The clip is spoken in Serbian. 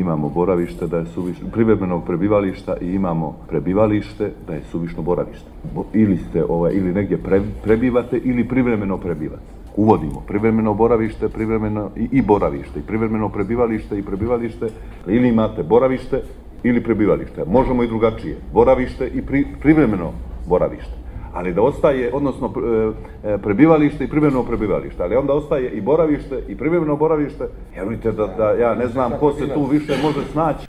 imamo boravište da je suvišno, privremenog prebivališta i imamo prebivalište da je suvišno boravište. Ili negdje prebivate ili privremeno prebivate. Uvodimo privremeno boravište, privremeno i boravište, i privremeno prebivalište i prebivalište, ili imate boravište ili prebivalište. Možemo i drugačije, boravište i privremeno boravište. Ali da ostaje, odnosno prebivalište i privremeno prebivalište, ali onda ostaje i boravište i privremeno boravište, vjerujte da ja ne znam ko se tu više može snaći.